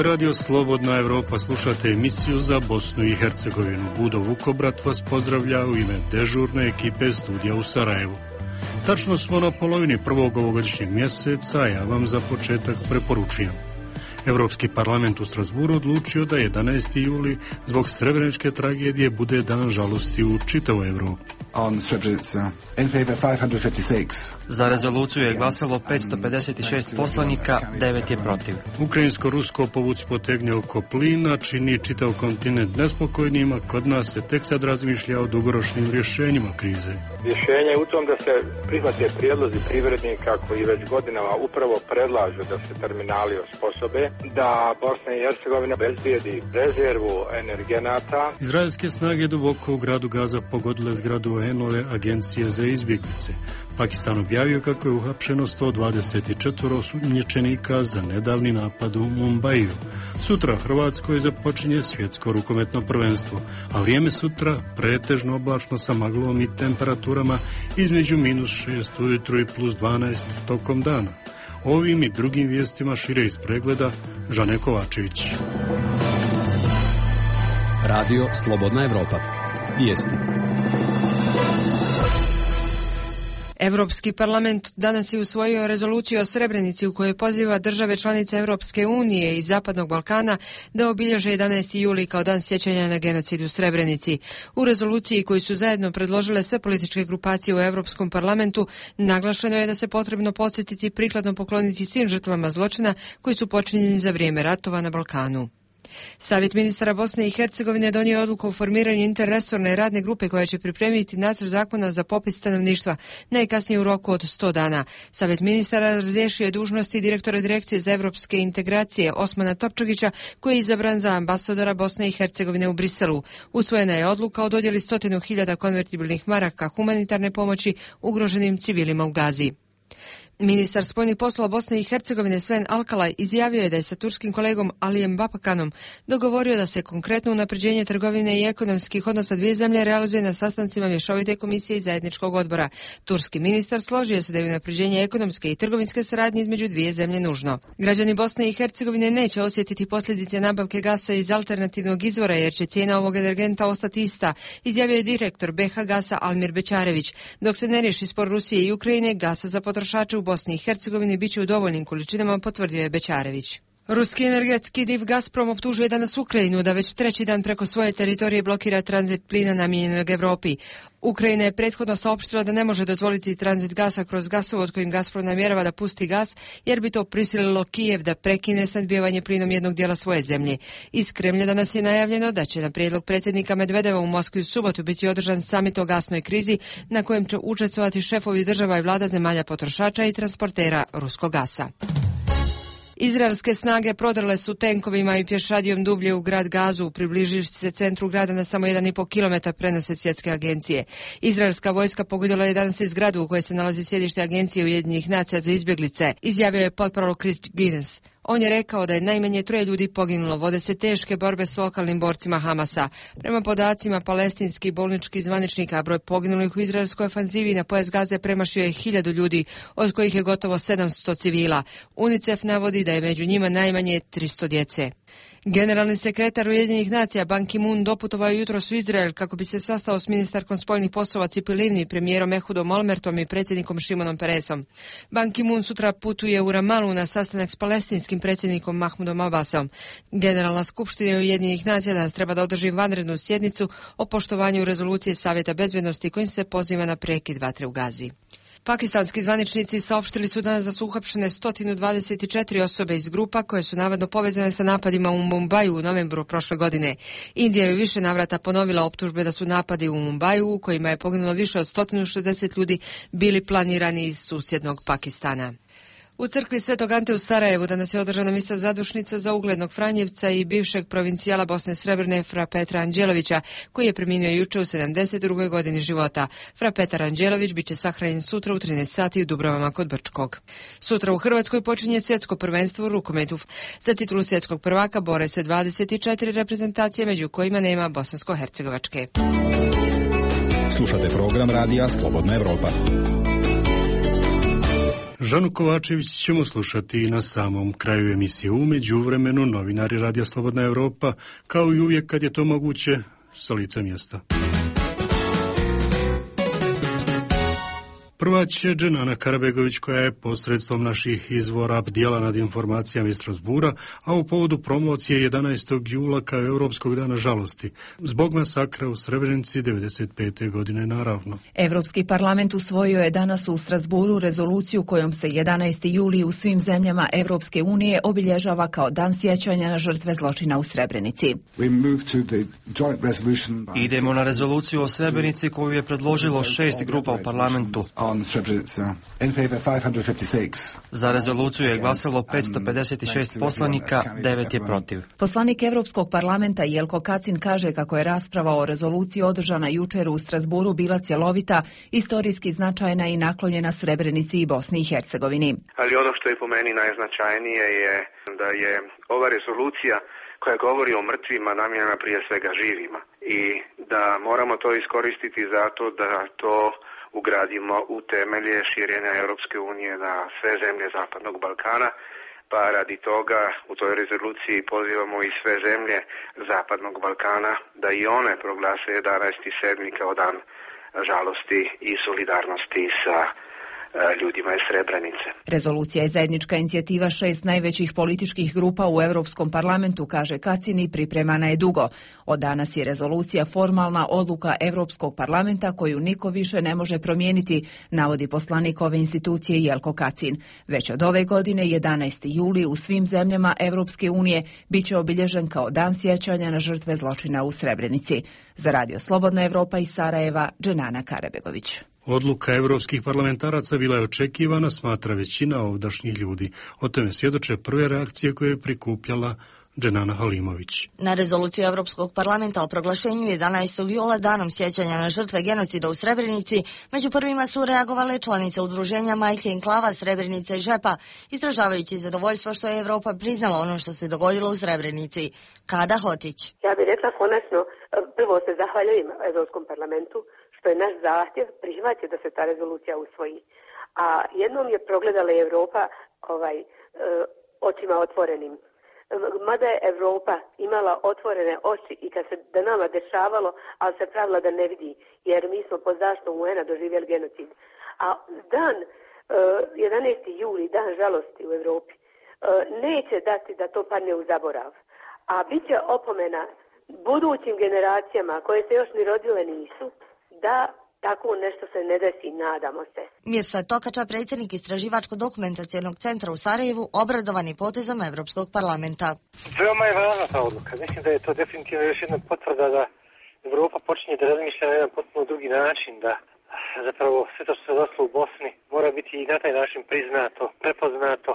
Ovo je radio Slobodna Evropa, slušate emisiju za Bosnu i Hercegovinu. Budo Vukobrat vas pozdravlja u ime dežurne ekipe studija u Sarajevu. Tačno smo na polovini prvog ovogodišnjeg mjeseca, a ja vam za početak preporučujem. Europski parlament u Strasburu odlučio da 11. juli zbog srebreničke tragedije bude dan žalosti u čitavoj Evropi. On Srebrenica, in favor 556. Za rezoluciju je glasalo 556 poslanika, 9 je protiv. Ukrajinsko-rusko povuć potegnje oko plina čini čitav kontinent nespokojnim, a kod nas se tek sad razmišlja o dugoročnim rješenjima krize. Rješenje je u tom da se prihvate prijedlozi privrednika koji već godinama upravo predlažu da se terminali osposobe, da Bosna i Hercegovina bezbijedi rezervu energenata. Izraelske snage duboko u gradu Gaza pogodile zgradu UN-ove agencije za izbjeglice. Pakistan objavio kako je uhapšeno 124 osumnjičenika za nedavni napad u Mumbaiju. Sutra Hrvatskoj započinje svjetsko rukometno prvenstvo, a vrijeme sutra pretežno oblačno sa maglom i temperaturama između -6 ujutro i +12 tokom dana. Ovim i drugim vijestima šire iz pregleda Žane Kovačević. Radio Slobodna Evropa. Vijesti. Europski parlament danas je usvojio rezoluciju o Srebrenici u kojoj poziva države članice Europske unije i Zapadnog Balkana da obilježe 11. juli kao dan sjećanja na genocid u Srebrenici. U rezoluciji koju su zajedno predložile sve političke grupacije u Europskom parlamentu naglašeno je da se potrebno podsjetiti i prikladno pokloniti svim žrtvama zločina koji su počinjeni za vrijeme ratova na Balkanu. Savjet ministara Bosne i Hercegovine donio je odluku o formiranju interresorne radne grupe koja će pripremiti nacrt zakona za popis stanovništva najkasnije u roku od 100 dana. Savjet ministara razriješio je dužnosti direktora Direkcije za evropske integracije Osmana Topčagića, koji je izabran za ambasadora Bosne i Hercegovine u Briselu. Usvojena je odluka o dodjeli 100.000 konvertibilnih maraka humanitarne pomoći ugroženim civilima u Gazi. Ministar spoljnih poslova Bosne i Hercegovine Sven Alkalaj izjavio je da je sa turskim kolegom Alijem Bapakanom dogovorio da se konkretno unapređenje trgovine i ekonomskih odnosa dvije zemlje realizuje na sastancima mješovite komisije i zajedničkog odbora. Turski ministar složio se da je unapređenje ekonomske i trgovinske saradnje između dvije zemlje nužno. Građani Bosne i Hercegovine neće osjetiti posljedice nabavke gasa iz alternativnog izvora jer će cijena ovog energenta ostati ista, izjavio je direktor BH Gasa Almir Bećarević. Dok se ne riješi spor Rusije i Ukrajine, gasa za potrošače u Bosni i Hercegovini bit će u dovoljnim količinama, potvrdio je Bećarević. Ruski energetski div Gazprom optužuje danas Ukrajinu da već treći dan preko svoje teritorije blokira tranzit plina namijenjenog Europi. Ukrajina je prethodno saopštila da ne može dozvoliti tranzit gasa kroz gasovod kojim Gazprom namjerava da pusti gas, jer bi to prisililo Kijev da prekine snabdijevanje plinom jednog dijela svoje zemlje. Iz Kremlja danas je najavljeno da će na prijedlog predsjednika Medvedeva u Moskvi u subotu biti održan samit o gasnoj krizi na kojem će učestvovati šefovi država i vlada zemalja potrošača i transportera ruskog gasa. Izraelske snage prodrle su tenkovima i pješadijom dublje u grad Gazu, približivši se centru grada na samo 1,5 kilometar, prenose svjetske agencije. Izraelska vojska pogodila je danas i zgradu u kojoj se nalazi sjedište Agencije Ujedinjenih nacija za izbjeglice, izjavio je potparol Chris Guinness. On je rekao da je najmanje 3 ljudi poginulo, vode se teške borbe s lokalnim borcima Hamasa. Prema podacima palestinskih bolničkih zvaničnika, broj poginulih u izraelskoj ofanzivi na pojas Gaze premašio je 1000 ljudi, od kojih je gotovo 700 civila. UNICEF navodi da je među njima najmanje 300 djece. Generalni sekretar Ujedinjenih nacija Ban Ki-moon doputovao jutros u Izrael kako bi se sastao s ministarkom spoljnih poslova Cipi Livni, premijerom Ehudom Olmertom i predsjednikom Šimonom Peresom. Ban Ki-moon sutra putuje u Ramalu na sastanak s palestinskim predsjednikom Mahmudom Abbasom. Generalna skupština Ujedinjenih nacija danas treba da održi vanrednu sjednicu o poštovanju rezolucije Savjeta bezbednosti kojim se poziva na prekid vatre u Gazi. Pakistanski zvaničnici saopštili su danas da su uhapšene 124 osobe iz grupa koje su navodno povezane sa napadima u Mumbaju u novembru prošle godine. Indija je više navrata ponovila optužbe da su napadi u Mumbaju, u kojima je poginulo više od 160 ljudi, bili planirani iz susjednog Pakistana. U crkvi Svetog Ante u Sarajevu danas je održana misa zadušnica za uglednog Franjevca i bivšeg provincijala Bosne Srebrne Fra Petra Anđelovića, koji je preminio juče u 72. godini života. Fra Petar Anđelović biće sahranjen sutra u 13 sati u Dubrovama kod Brčkog. Sutra u Hrvatskoj počinje svjetsko prvenstvo u rukometu. Za titulu svjetskog prvaka bore se 24 reprezentacije, među kojima nema bosansko-hercegovačke. Slušate program radija Slobodna Evropa. Žanu Kovačević ćemo slušati i na samom kraju emisije. U međuvremenu novinari Radija Slobodna Evropa, kao i uvijek kad je to moguće, sa lica mjesta. Prva će Dženana Karabegović, koja je posredstvom naših izvora bdjela nad informacijama iz Strasbura, a u povodu promocije 11. jula kao Europskog dana žalosti, zbog masakra u Srebrenici 95. godine naravno. Europski parlament usvojio je danas u Strasburu rezoluciju kojom se 11. juli u svim zemljama Europske unije obilježava kao dan sjećanja na žrtve zločina u Srebrenici. Idemo na rezoluciju o Srebrenici koju je predložilo 6 grupa u parlamentu. Za rezoluciju je glasalo 556 poslanika, 9 je protiv. Poslanik Europskog parlamenta Jelko Kacin kaže kako je rasprava o rezoluciji održana jučer u Strasburu bila cjelovita, istorijski značajna i naklonjena Srebrenici i Bosni i Hercegovini. Ali ono što je po meni najznačajnije je da je ova rezolucija koja govori o mrtvima namijenjena prije svega živima i da moramo to iskoristiti zato da to ugradimo u temelje širenja Europske unije na sve zemlje Zapadnog Balkana, pa radi toga u toj rezoluciji pozivamo i sve zemlje Zapadnog Balkana da i one proglase 11.7. kao dan žalosti i solidarnosti sa ljudima iz Srebrenice. Rezolucija je zajednička inicijativa 6 najvećih političkih grupa u Europskom parlamentu, kaže Kacin, i pripremana je dugo. Od danas je rezolucija formalna odluka Europskog parlamenta koju niko više ne može promijeniti, navodi poslanik ove institucije Jelko Kacin. Već od ove godine, 11. juli, u svim zemljama Europske unije bit će obilježen kao dan sjećanja na žrtve zločina u Srebrenici. Za Radio Slobodna Evropa iz Sarajeva, Dženana Karabegović. Odluka evropskih parlamentaraca bila je očekivana, smatra većina ovdašnjih ljudi. O tome svjedoče prve reakcije koje je prikupljala Dženana Halimović. Na rezoluciju Europskog parlamenta o proglašenju 11. jula danom sjećanja na žrtve genocida u Srebrenici, među prvima su reagovale članice udruženja Majke Enklava, Srebrenica i Žepa, izražavajući zadovoljstvo što je Europa priznala ono što se dogodilo u Srebrenici. Kada Hotić. Ja bih rekla konačno, prvo se zahvaljujem Europskom parlamentu što je naš zahtjev prihvatio da se ta rezolucija usvoji. A jednom je progledala Europa očima otvorenim. Mada je Europa imala otvorene oči i kad se da nama dešavalo, ali se pravila da ne vidi, jer mi smo pod zaštitom UN-a doživjeli genocid. A dan 11. juli, dan žalosti u Europi, neće dati da to padne u zaborav. A bit će opomena budućim generacijama koje se još ni rodile nisu, da tako nešto se ne desi, nadamo se. Mirsad Tokača, predsjednik Istraživačko-dokumentacijenog centra u Sarajevu, obradovan je potezom Europskog parlamenta. Veoma je važna ta odluka. Mislim da je to definitivno još jedna potvrda da Europa počinje da razmišlja na jedan potpuno drugi način, da zapravo sve to što se došlo u Bosni mora biti i na taj način priznato, prepoznato,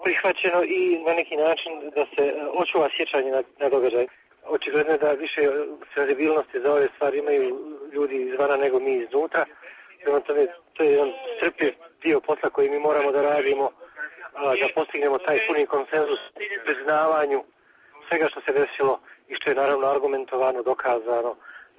prihvaćeno i na neki način da se očuva sjećanje na događaj. Očigledno je da više senzibilnosti za ove stvari imaju ljudi izvana nego mi iznutra. Prema tome, to je jedan strpljiv dio posla koji mi moramo da radimo, da postignemo taj puni konsenzus u priznavanju svega što se desilo i što je naravno argumentovano, dokazano.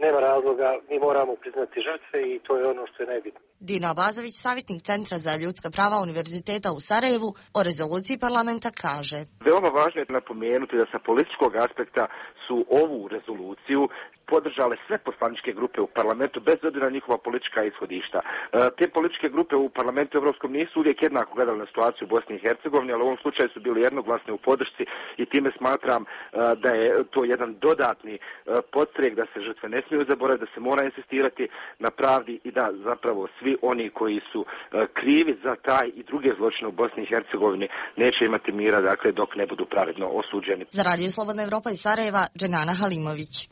Nema razloga, mi moramo priznati žrtve i to je ono što je najbitnije. Dino Abazović, savjetnik Centra za ljudska prava Univerziteta u Sarajevu, o rezoluciji parlamenta kaže. Veoma važno je napomenuti da sa političkog aspekta su ovu rezoluciju podržale sve poslaničke grupe u parlamentu bez obzira na njihova politička ishodišta. Te političke grupe u parlamentu europskom nisu uvijek jednako gledali na situaciju u Bosni i Hercegovini, ali u ovom slučaju su bili jednoglasni u podršci i time smatram da je to jedan dodatni podstrek da se žrtve ne smiju zaboraviti, da se mora insistirati na pravdi i da zapravo svi oni koji su krivi za taj i druge zločine u Bosni i Hercegovini neće imati mira, dakle, dok ne budu pravedno osuđeni. Za Radio Slobodna Evropa iz Sarajeva, Dženana Halimović.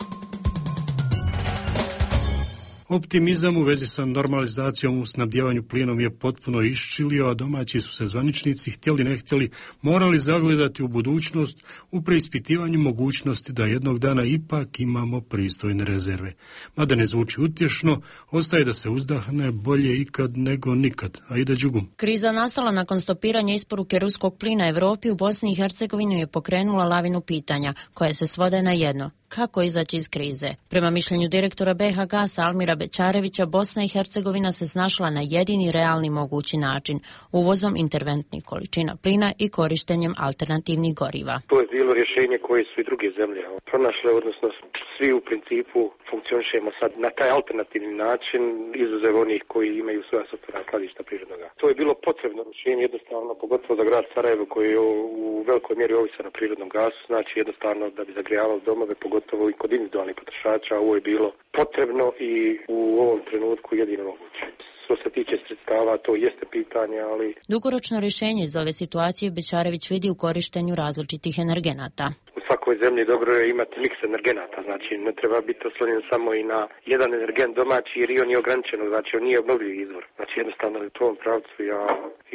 Optimizam u vezi sa normalizacijom u snabdjevanju plinom je potpuno iščilio, a domaći su se zvaničnici, htjeli ne htjeli, morali zagledati u budućnost u preispitivanju mogućnosti da jednog dana ipak imamo pristojne rezerve. Mada ne zvuči utješno, ostaje da se uzdahne bolje ikad nego nikad. Aida Đugum. Kriza nastala nakon stopiranja isporuke ruskog plina Europi u Bosni i Hercegovini je pokrenula lavinu pitanja, koje se svode na jedno. kako izaći iz krize. Prema mišljenju direktora BiH Gasa Almira Bećarevića, Bosna i Hercegovina se snašla na jedini realni mogući način, uvozom interventnih količina plina i korištenjem alternativnih goriva. To je bilo rješenje koje su i druge zemlje pronašle, odnosno svi u principu funkcionišemo sad na taj alternativni način, izuzev onih koji imaju svoja sopstvena skladišta prirodnog gasa. To je bilo potrebno rješenje, jednostavno, pogotovo za grad Sarajevo koji je u velikoj mjeri ovisa na prirodnom gasu, znači jednostavno da bi zagrijavali domove, pogotovo i kod individualnih potrošača, ovo je bilo potrebno i u ovom trenutku jedino moguće. Što se tiče sredstava, to jeste pitanje, ali... Dugoročno rješenje iz ove situacije Bećarević vidi u korištenju različitih energenata. U svakoj zemlji dobro je imati miks energenata, znači ne treba biti oslonjen samo i na jedan energent domaći jer i on je ograničen, znači on nije obnovljiv izvor. Znači jednostavno u tom pravcu ja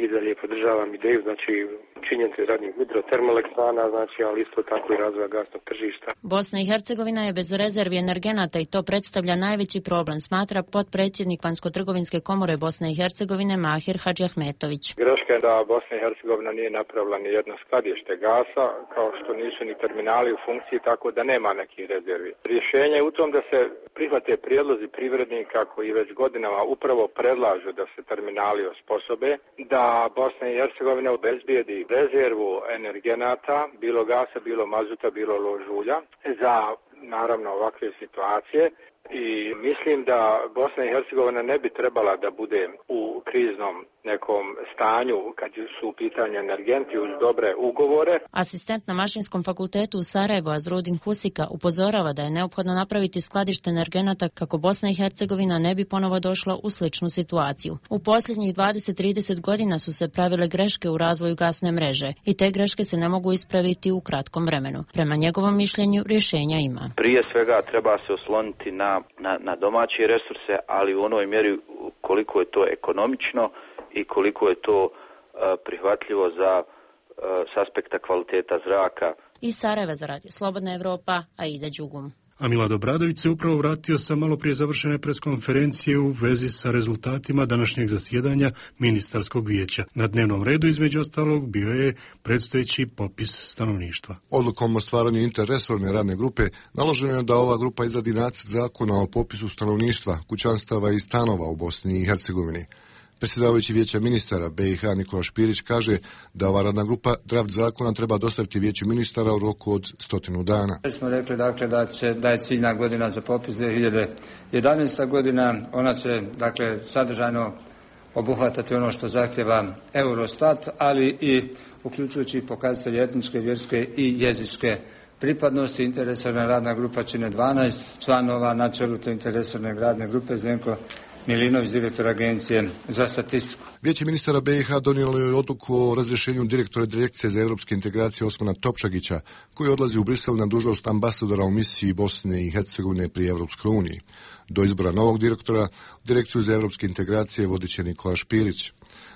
i dalje podržavam ideju, znači činjenice radnih hidrotermoelektrana, znači ali isto tako i razvoja gasnog tržišta. Bosna i Hercegovina je bez rezervi energenata i to predstavlja najveći problem, smatra potpredsjednik Vanjsko-trgovinske komore Bosne i Hercegovine Mahir Hadžiahmetović. Greška je da Bosna i Hercegovina nije napravila ni jedno skladište gasa, kao što nisu ni terminali u funkciji, tako da nema nekih rezervi. Rješenje je u tom da se prihvate prijedlozi privrednika koji već godinama upravo predlažu da se terminali osposobe, da Bosna i Hercegovina obezbijedi rezervu energenata, bilo gasa, bilo mazuta, bilo lož ulja, za naravno ovakve situacije. I mislim da Bosna i Hercegovina ne bi trebala da bude u kriznom nekom stanju kad su u pitanju energenti uz dobre ugovore. Asistent na Mašinskom fakultetu u Sarajevu Azrudin Husika upozorava da je neophodno napraviti skladište energenata kako Bosna i Hercegovina ne bi ponovo došla u sličnu situaciju. U posljednjih 20-30 godina su se pravile greške u razvoju gasne mreže i te greške se ne mogu ispraviti u kratkom vremenu. Prema njegovom mišljenju rješenja ima. Prije svega treba se osloniti na domaće resurse, ali u onoj mjeri koliko je to ekonomično i koliko je to prihvatljivo s aspekta kvaliteta zraka. Iz Sarajeva za Radio Slobodna Evropa, Aida Đugum. A Milad Obradović se upravo vratio sa malo prije završene preskonferencije u vezi sa rezultatima današnjeg zasjedanja ministarskog vijeća. Na dnevnom redu između ostalog bio je predstojeći popis stanovništva. Odlukom o stvaranju interresorne radne grupe naloženo je da ova grupa izradi nacrt zakona o popisu stanovništva, kućanstava i stanova u Bosni i Hercegovini. Predsjedavajući vijeća ministara BiH Nikola Špirić kaže da ova radna grupa draft zakona treba dostaviti vijeću ministara u roku od 100 dana. Smo rekli dakle da je ciljna godina za popis 2011. godina. Ona će dakle sadržajno obuhvatati ono što zahtjeva Eurostat, ali i uključujući pokazatelje etničke, vjerske i jezičke pripadnosti. Interresorna radna grupa čine 12 članova, na čelu te interresorne radne grupe Zdenko Milinović, direktor Agencije za statistiku. Vijeće ministara BiH donijelo je odluku o razrješenju direktora Direkcije za europske integracije Osmana Topčagića, koji odlazi u Brisel na dužnost ambasadora u misiji Bosne i Hercegovine pri Europskoj uniji. Do izbora novog direktora, Direkciju za europske integracije vodit će Nikola Špirić.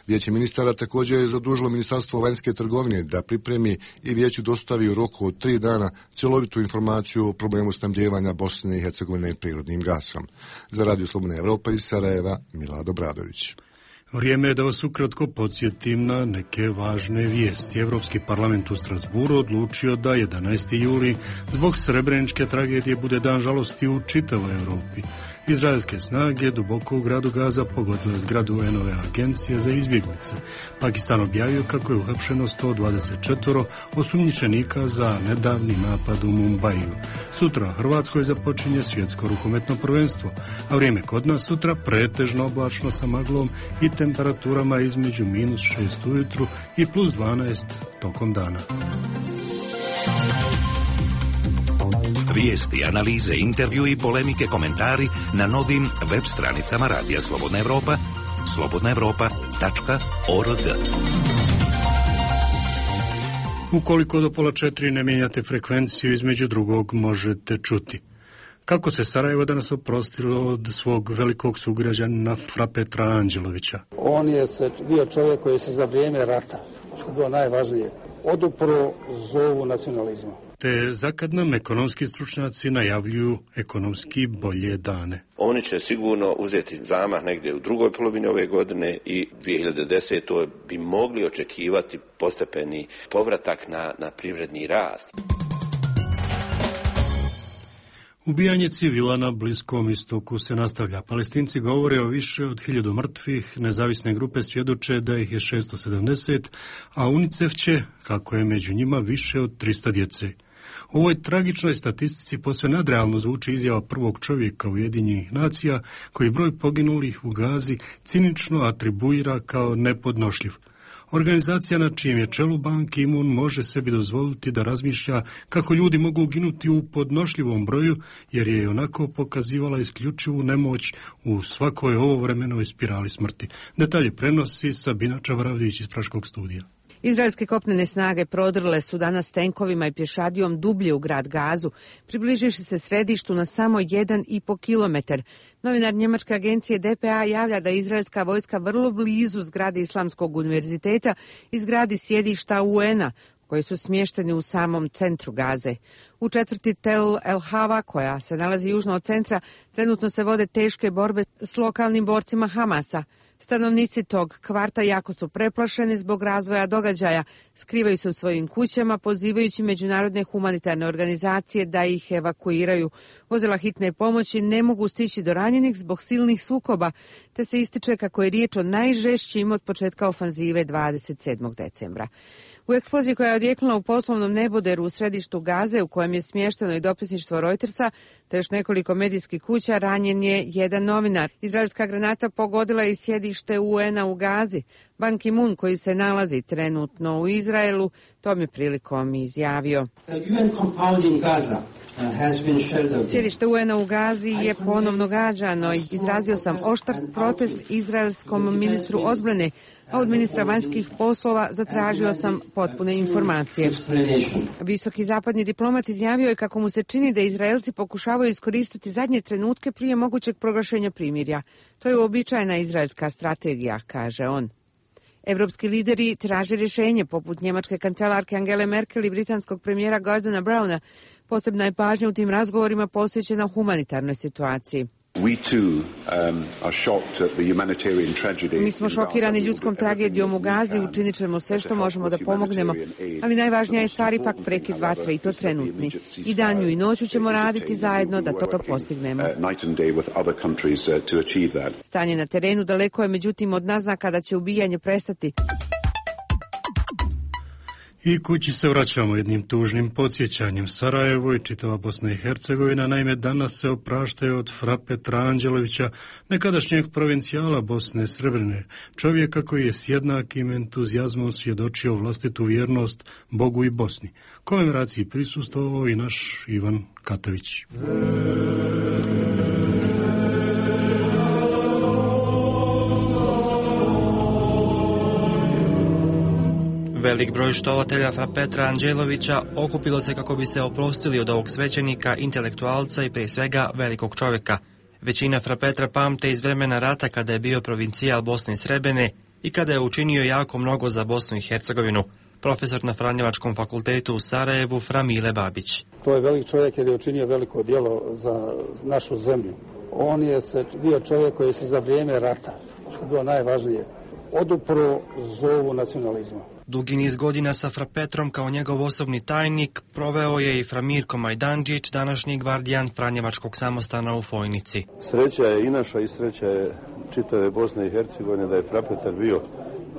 Vijeće ministara također je zadužilo Ministarstvo vanjske trgovine da pripremi i vijeću dostavi u roku od 3 dana cjelovitu informaciju o problemu snabdijevanja Bosne i Hercegovine prirodnim gasom. Za Radio Slobodna Evropa iz Sarajeva, Milad Obradović. Vrijeme je da vas ukratko podsjetim na neke važne vijesti. Europski parlament u Strasburu odlučio da 11. juli zbog srebreničke tragedije bude dan žalosti u čitavoj Europi. Izraelske snage duboko u gradu Gaza pogodile zgradu UN-ove agencije za izbjeglice. Pakistan objavio kako je uhapšeno 124 osumnjičenika za nedavni napad u Mumbaiju. Sutra u Hrvatskoj započinje svjetsko rukometno prvenstvo, a vrijeme kod nas sutra pretežno oblačno sa maglom i temperaturama između -6 ujutru i +12 tokom dana. Vijesti, analize, intervju i polemike, komentari na novim web stranicama Radija Slobodna Evropa, slobodnaevropa.org. Ukoliko do 3:30 ne mijenjate frekvenciju, između drugog možete čuti. Kako se Sarajevo danas oprostilo od svog velikog sugrađana Fra Petra Anđelovića? On je bio čovjek koji se za vrijeme rata, što je bilo najvažnije, odupro zovu nacionalizma. Te zakad nam ekonomski stručnjaci najavljuju ekonomski bolje dane. Oni će sigurno uzeti zamah negdje u drugoj polovini ove godine i 2010. bi mogli očekivati postepeni povratak na privredni rast. Ubijanje civila na Bliskom istoku se nastavlja. Palestinci govore o više od 1000 mrtvih, nezavisne grupe svjedoče da ih je 670, a UNICEF će, kako je među njima, više od 300 djece. U ovoj tragičnoj statistici posve nadrealno zvuči izjava prvog čovjeka Ujedinjenih nacija, koji broj poginulih u Gazi cinično atribuira kao nepodnošljiv. Organizacija na čijem je čelu Ban Ki-moon može sebi dozvoliti da razmišlja kako ljudi mogu ginuti u podnošljivom broju, jer je onako pokazivala isključivu nemoć u svakoj ovovremenoj spirali smrti. Detalje prenosi Sabina Čavaravdić iz Praškog studija. Izraelske kopnene snage prodrle su danas tenkovima i pješadijom dublje u grad Gazu, približivši se središtu na samo 1,5 kilometar. Novinar njemačke agencije DPA javlja da je izraelska vojska vrlo blizu zgrade Islamskog univerziteta i zgradi sjedišta UN-a, koji su smješteni u samom centru Gaze. U četvrti Tel El Hava, koja se nalazi južno od centra, trenutno se vode teške borbe s lokalnim borcima Hamasa. Stanovnici tog kvarta jako su preplašeni zbog razvoja događaja, skrivaju se u svojim kućama, pozivajući međunarodne humanitarne organizacije da ih evakuiraju. Vozila hitne pomoći ne mogu stići do ranjenih zbog silnih sukoba, te se ističe kako je riječ o najžešćim od početka ofanzive 27. decembra. U eksploziji koja je odjeknula u poslovnom neboderu u središtu Gaze, u kojem je smješteno i dopisništvo Reutersa, te još nekoliko medijskih kuća, ranjen je jedan novinar. Izraelska granata pogodila je i sjedište UN-a u Gazi. Ban Ki-moon, koji se nalazi trenutno u Izraelu, tom je prilikom izjavio: sjedište UN-a u Gazi je ponovno gađano. Izrazio sam oštar protest izraelskom ministru odbrane, a od ministra vanjskih poslova zatražio sam potpune informacije. Visoki zapadni diplomat izjavio je kako mu se čini da Izraelci pokušavaju iskoristiti zadnje trenutke prije mogućeg proglašenja primirja. To je uobičajena izraelska strategija, kaže on. Evropski lideri traže rješenje, poput njemačke kancelarke Angele Merkel i britanskog premijera Gordona Browna. Posebna je pažnja u tim razgovorima posvećena humanitarnoj situaciji. Mi smo šokirani ljudskom tragedijom u Gazi, učinit ćemo sve što možemo da pomognemo, ali najvažnija je stvar ipak prekid vatre i to trenutni. I danju i noću ćemo raditi zajedno da to postignemo. Stanje na terenu daleko je međutim od naznaka da će ubijanje prestati. I kući se vraćamo jednim tužnim podsjećanjem. Sarajevo i čitava Bosna i Hercegovina naime danas se opraštaju od fra Petra Anđelovića, nekadašnjeg provincijala Bosne Srebrene, čovjeka koji je s jednakim entuzijazmom svjedočio vlastitu vjernost Bogu i Bosni. Komemoraciji prisustvovao i naš Ivan Katavić. Velik broj štovatelja fra Petra Anđelovića okupilo se kako bi se oprostili od ovog svećenika, intelektualca i prije svega velikog čovjeka. Većina fra Petra pamte iz vremena rata kada je bio provincijal Bosne i Srebrene i kada je učinio jako mnogo za Bosnu i Hercegovinu. Profesor na Franjevačkom fakultetu u Sarajevu fra Mile Babić. To je velik čovjek jer je učinio veliko djelo za našu zemlju. On je bio čovjek koji se za vrijeme rata, što je bilo najvažnije, odupro zovu nacionalizma. Dugi niz godina sa fra Petrom kao njegov osobni tajnik proveo je i fra Mirko Majdanđić, današnji gvardijan Franjevačkog samostana u Fojnici. Sreća je i naša i sreća je čitave Bosne i Hercegovine da je fra Petar bio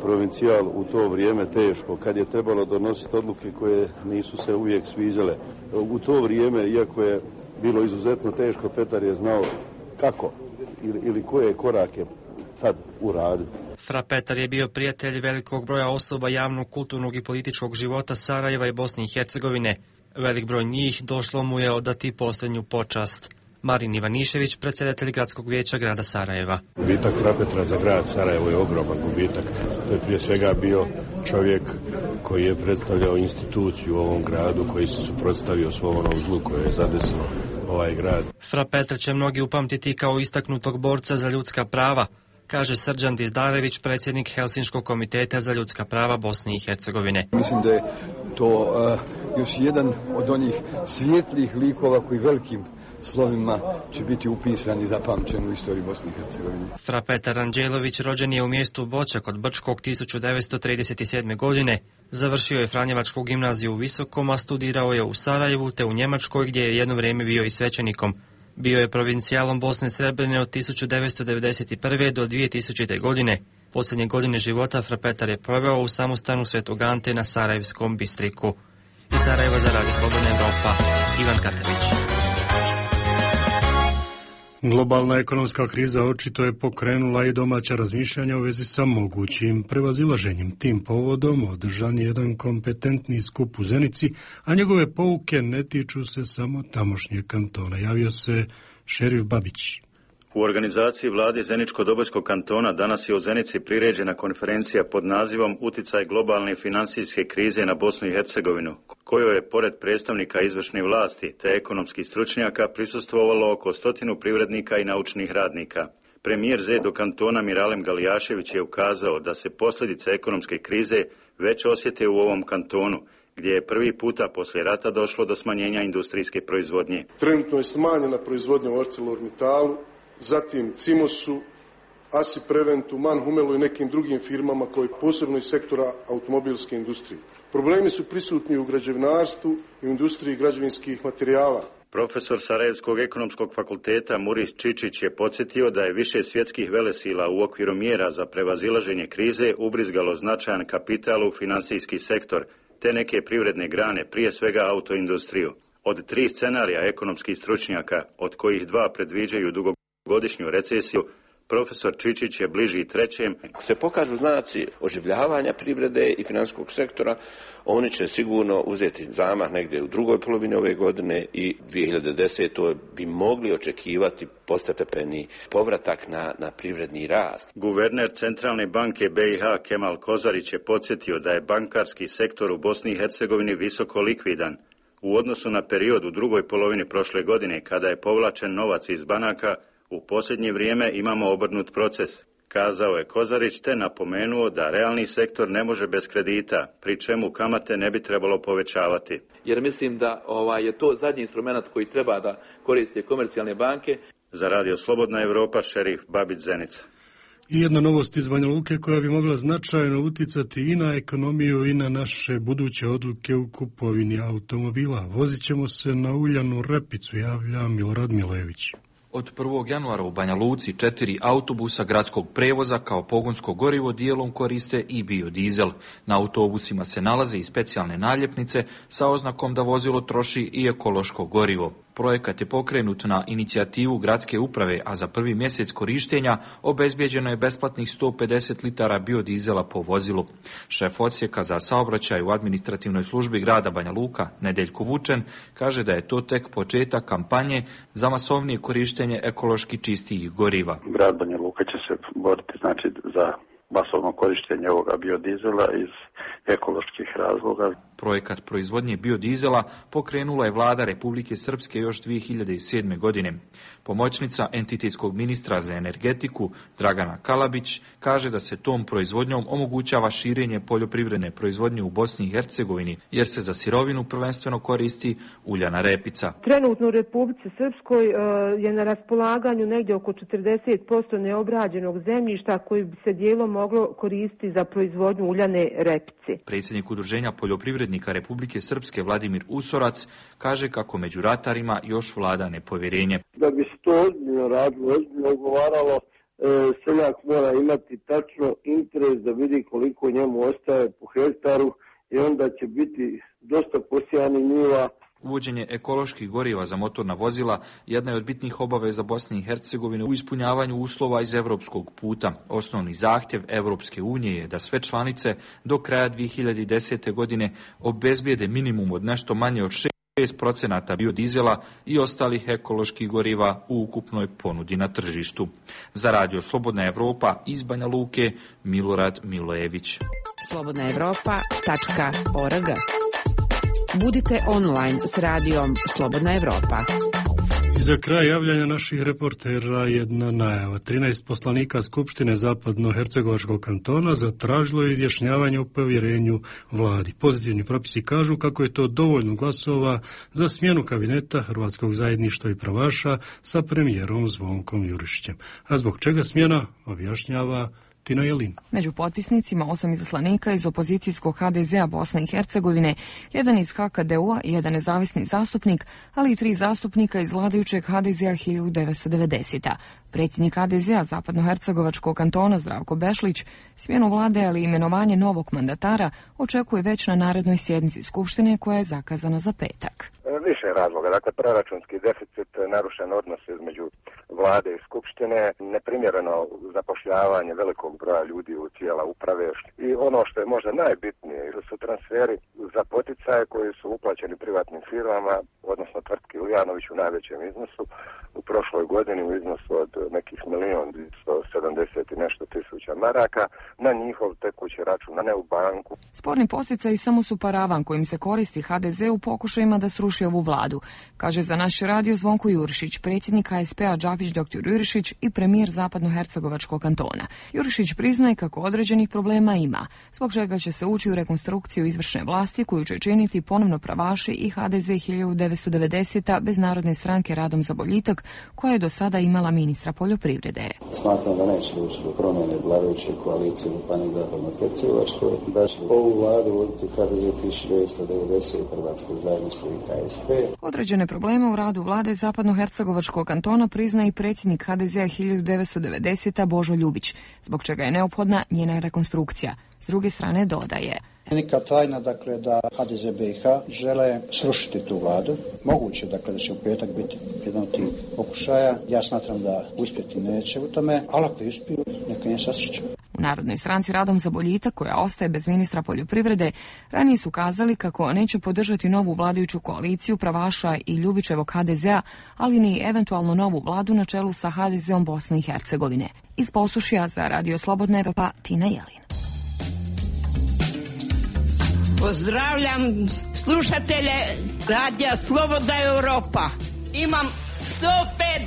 provincijal u to vrijeme teško, kad je trebalo donositi odluke koje nisu se uvijek sviđale. U to vrijeme, iako je bilo izuzetno teško, Petar je znao kako ili koje korake tad uraditi. Fra Petar je bio prijatelj velikog broja osoba javnog, kulturnog i političkog života Sarajeva i Bosne i Hercegovine. Velik broj njih došlo mu je odati posljednju počast. Marin Ivanišević, predsjedatelj gradskog vijeća grada Sarajeva. Gubitak fra Petra za grad Sarajevo je ogroman gubitak. To je prije svega bio čovjek koji je predstavljao instituciju u ovom gradu, koji se suprotstavio svom onom zlu koje je zadesilo ovaj grad. Fra Petra će mnogi upamtiti kao istaknutog borca za ljudska prava, kaže Srđan Dizdarević, predsjednik Helsinškog komiteta za ljudska prava Bosne i Hercegovine. Mislim da je to još jedan od onih svijetlih likova koji velikim slovima će biti upisan i zapamćen u istoriji Bosne i Hercegovine. Fra Petar Anđelović rođen je u mjestu Boča kod Brčkog 1937. godine. Završio je Franjevačku gimnaziju u Visokom, a studirao je u Sarajevu te u Njemačkoj gdje je jedno vrijeme bio i svećenikom. Bio je provincijalom Bosne Srebrene od 1991. do 2000. godine. Posljednje godine života Fra Petar je proveo u samostanu Svetog Ante na Sarajevskom Bistriku. Iz Sarajeva za Radio Slobodna Evropa, Ivan Katević. Globalna ekonomska kriza očito je pokrenula i domaća razmišljanja u vezi sa mogućim prevazilaženjem. Tim povodom održan je jedan kompetentni skup u Zenici, a njegove pouke ne tiču se samo tamošnjeg kantona. Javio se šerif Babić. U organizaciji vlade Zeničko-Dobojskog kantona danas je u Zenici priređena konferencija pod nazivom Uticaj globalne financijske krize na Bosnu i Hercegovinu, kojoj je pored predstavnika izvršne vlasti te ekonomskih stručnjaka prisustvovalo oko 100 privrednika i naučnih radnika. Premijer ZEDO kantona Miralem Galijašević je ukazao da se posljedice ekonomske krize već osjete u ovom kantonu, gdje je prvi puta poslije rata došlo do smanjenja industrijske proizvodnje. Trenutno je smanjena proizvodnja u ArcelorMittalu, zatim Cimosu, Asi Preventu, Manhumelu i nekim drugim firmama koji posebno iz sektora automobilske industrije. Problemi su prisutni u građevinarstvu i u industriji građevinskih materijala. Profesor Sarajevskog ekonomskog fakulteta Muris Čičić je podsjetio da je više svjetskih velesila u okviru mjera za prevazilaženje krize ubrizgalo značajan kapital u financijski sektor, te neke privredne grane, prije svega autoindustriju. Od 3 scenarija ekonomskih stručnjaka, od kojih 2 predviđaju dugogodišnju recesiju, profesor Čičić je bliži trećem. Ako se pokažu znaci oživljavanja privrede i financijskog sektora, oni će sigurno uzeti zamah negdje u drugoj polovini ove godine i 2010. bi mogli očekivati postepeni povratak na privredni rast. Guverner Centralne banke BiH Kemal Kozarić je podsjetio da je bankarski sektor u Bosni i Hercegovini visoko likvidan. U odnosu na period u drugoj polovini prošle godine, kada je povlačen novac iz banaka, u posljednje vrijeme imamo obrnut proces, kazao je Kozarić, te napomenuo da realni sektor ne može bez kredita, pri čemu kamate ne bi trebalo povećavati. Jer mislim da je to zadnji instrument koji treba da koriste komercijalne banke. Za Radio Slobodna Evropa, šerif Babić, Zenica. I jedna novost iz Banja Luke koja bi mogla značajno uticati i na ekonomiju i na naše buduće odluke u kupovini automobila. Vozit ćemo se na uljanu repicu, javlja Milorad Milojević. Od 1. januara u Banja Luci 4 autobusa gradskog prevoza kao pogonsko gorivo dijelom koriste i biodizel. Na autobusima se nalaze i specijalne naljepnice sa oznakom da vozilo troši i ekološko gorivo. Projekat je pokrenut na inicijativu gradske uprave, a za prvi mjesec korištenja obezbijeđeno je besplatnih 150 litara biodizela po vozilu. Šef odsjeka za saobraćaj u administrativnoj službi grada Banja Luka, Nedeljko Vučen, kaže da je to tek početak kampanje za masovnije korištenje ekološki čistijih goriva. Grad Banja Luka će se boriti za masovno korištenje ovoga biodizela iz ekoloških razloga. Projekat proizvodnje biodizela pokrenula je vlada Republike Srpske još 2007. godine. Pomoćnica entitetskog ministra za energetiku Dragana Kalabić kaže da se tom proizvodnjom omogućava širenje poljoprivredne proizvodnje u Bosni i Hercegovini, jer se za sirovinu prvenstveno koristi uljana repica. Trenutno u Republici Srpskoj je na raspolaganju negdje oko 40% neobrađenog zemljišta koji bi se dijelom moglo koristiti za proizvodnju uljane repice. Predsjednik Udruženja poljoprivrednika Republike Srpske Vladimir Usorac kaže kako među ratarima još vlada nepovjerenje. Da bi se to ozbiljno radilo, ozbiljno ugovaralo, seljak mora imati tačno interes da vidi koliko njemu ostaje po hektaru i onda će biti dosta posijani njiva. Uvođenje ekoloških goriva za motorna vozila jedna je od bitnih obaveza Bosne i Hercegovine u ispunjavanju uslova iz evropskog puta. Osnovni zahtjev Evropske unije je da sve članice do kraja 2010. godine obezbijede minimum od nešto manje od 6% biodizela i ostalih ekoloških goriva u ukupnoj ponudi na tržištu. Za Radio Slobodna Evropa iz Banja Luke, Milorad Milojević. slobodnaevropa.org. Budite online s radijom Slobodna Evropa. I za kraj javljanja naših reportera jedna najava. 13 poslanika Skupštine Zapadno-Hercegovačkog kantona zatražilo je izjašnjavanje o povjerenju vladi. Pozitivni propisi kažu kako je to dovoljno glasova za smjenu kabineta Hrvatskog zajedništva i pravaša sa premijerom Zvonkom Jurišićem. A zbog čega smjena, objašnjava Tina Jelin. Među potpisnicima 8 izaslanika iz opozicijskog HDZ-a Bosne i Hercegovine, jedan iz HKDU-a i jedan nezavisni zastupnik, ali i 3 zastupnika iz vladajućeg HDZ-a 1990. Predsjednik HDZ-a Zapadno-Hercegovačkog kantona Zdravko Bešlić smjenu vlade, ali i imenovanje novog mandatara očekuje već na narednoj sjednici Skupštine koja je zakazana za petak. Više razloga, dakle proračunski deficit, narušen odnos između vlade i skupštine, neprimjereno zapošljavanje velikog broja ljudi u tijela uprave i ono što je možda najbitnije su transferi za poticaje koji su uplaćeni privatnim firmama, odnosno tvrtki Uljanović u najvećem iznosu u prošloj godini u iznosu od nekih 1.170.000 i nešto tisuća maraka na njihov tekući račun, a ne u banku. Sporni posticaji samo su paravan kojim se koristi HDZ u pokušajima da sruši ovu vladu, kaže za naš radio Zvonko Jurišić, predsjednik ASP-a Džapić dr. Jurišić i premijer Zapadno-Hercegovačkog kantona. Jurišić priznaje kako određenih problema ima, zbog čega će se ući u rekonstrukciju izvršne vlasti koju će činiti ponovno pravaši i HDZ 1990. bez Narodne stranke Radom za boljitak, koja je do sada imala ministra poljoprivrede. Smatram da neće doći do promjene vladajuće koalicije u Županiji Zapadno-Hercegovačkoj, da će ovu vladu voditi HDZ 1990, Hrvatskog zajedništva i HSP. Određene probleme u radu vlade Zapadno-Hercegovačkog kantona prizna i predsjednik HDZ-a 1990. Božo Ljubić, zbog čega je neophodna njena rekonstrukcija. S druge strane dodaje: Nika tajna, dakle, da HDZ BiH žele srušiti tu vladu. Moguće, dakle, da će u petak biti jedan od tih pokušaja. Ja smatram da uspjeti neće u tome, ali ako uspiju, neka nje sasreću. U Narodnoj stranci Radom za boljitak, koja ostaje bez ministra poljoprivrede, ranije su kazali kako neće podržati novu vladajuću koaliciju pravaša i Ljubićevog HDZ-a, ali ni eventualno novu vladu na čelu sa HDZ-om Bosne i Hercegovine. Iz Posušja za Radio Slobodna Evropa, Tina Jelin. Pozdravljam slušatelje Radija Slobodna Evropa. Imam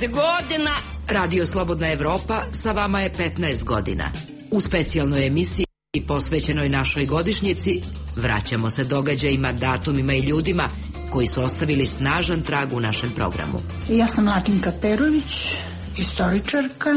105 godina. Radio Slobodna Evropa sa vama je 15 godina. U specijalnoj emisiji posvećenoj našoj godišnjici vraćamo se događajima, datumima i ljudima koji su ostavili snažan trag u našem programu. Ja sam Latinka Perović, istoričarka.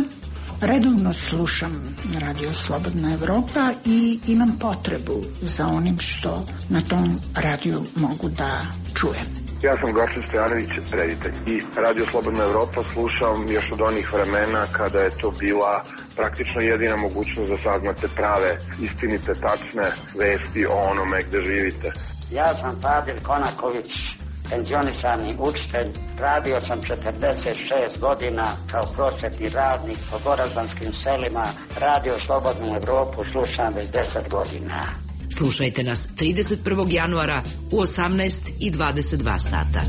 Redovno slušam Radio Slobodna Evropa i imam potrebu za onim što na tom radiju mogu da čujem. Ja sam Goran Stojanović, reditelj. I Radio Slobodna Evropa slušam još od onih vremena kada je to bila praktično jedina mogućnost da saznate prave, istinite, tačne vesti o onome gde živite. Ja sam Fadil Konaković, penzionisani učitelj. Radio sam 46 godina kao prosvetni radnik po goraždanskim selima. Radio Slobodnu Evropu slušam već 10 godina. Slušajte nas 31. januara u 18:22 sata.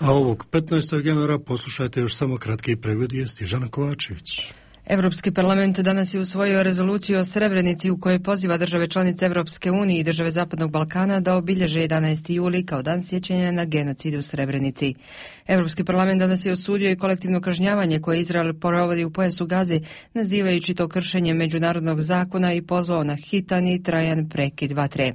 A ovog 15. januara poslušajte još samo kratki pregled vijesti. Žana Kovačević. Europski parlament danas je usvojio rezoluciju o Srebrenici u kojoj poziva države članice Europske unije i države Zapadnog Balkana da obilježe 11. juli kao dan sjećanja na genocid u Srebrenici. Europski parlament danas je osudio i kolektivno kažnjavanje koje Izrael provodi u pojasu Gaze, nazivajući to kršenjem međunarodnog zakona i pozvao na hitan i trajan prekid vatre.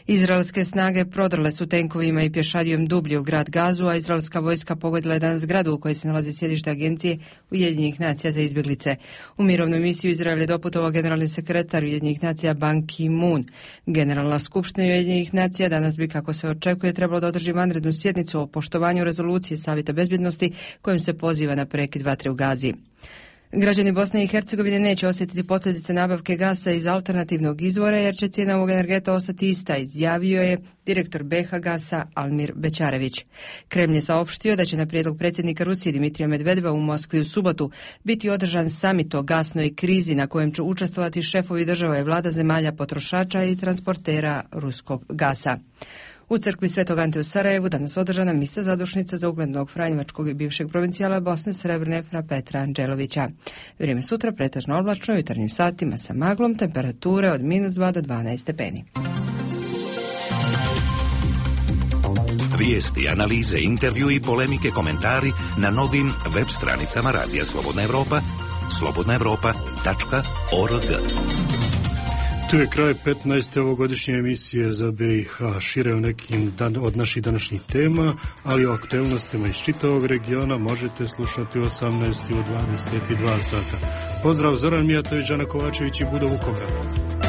Izraelske snage prodrle su tenkovima i pješadijom dublje u grad Gazu, a izraelska vojska pogodila je danas zgradu u kojoj se nalazi sjedište agencije Ujedinjenih nacija za izbjeglice. U mirovnu misiju Izrael je doputovao generalni sekretar Ujedinjenih nacija Ban Ki-moon. Generalna skupština Ujedinjenih nacija danas bi, kako se očekuje, trebalo da održi vanrednu sjednicu o poštovanju rezolucije Savjeta bezbjednosti kojim se poziva na prekid vatre u Gazi. Građani Bosne i Hercegovine neće osjetiti posljedice nabavke gasa iz alternativnog izvora jer će cijena ovog energeta ostati ista, izjavio je direktor BH Gasa Almir Bećarević. Kremlj je saopštio da će na prijedlog predsjednika Rusije Dimitrija Medvedeva u Moskvi u subotu biti održan samit o gasnoj krizi na kojem će učestvovati šefovi država i vlada zemalja potrošača i transportera ruskog gasa. U crkvi Svetog Ante u Sarajevu danas održana misa zadušnica za uglednog franjevačkog i bivšeg provincijala Bosne Srebrne fra Petra Anđelovića. Vrijeme sutra pretežno oblačno, u jutarnjim satima sa maglom, temperature od -2 do 12 stepeni. Vijesti, analize, intervju i polemike, komentari na novim web stranicama Radija Slobodna Evropa, slobodnaevropa.org. Tu je kraj 15. ovogodišnje emisije za BiH, šire o nekim od naših današnjih tema, ali o aktuelnostima iz čitavog regiona možete slušati u 18. i u 22 sata. Pozdrav, Zoran Mijatović, Ana Kovačević i Budo Vukobradac.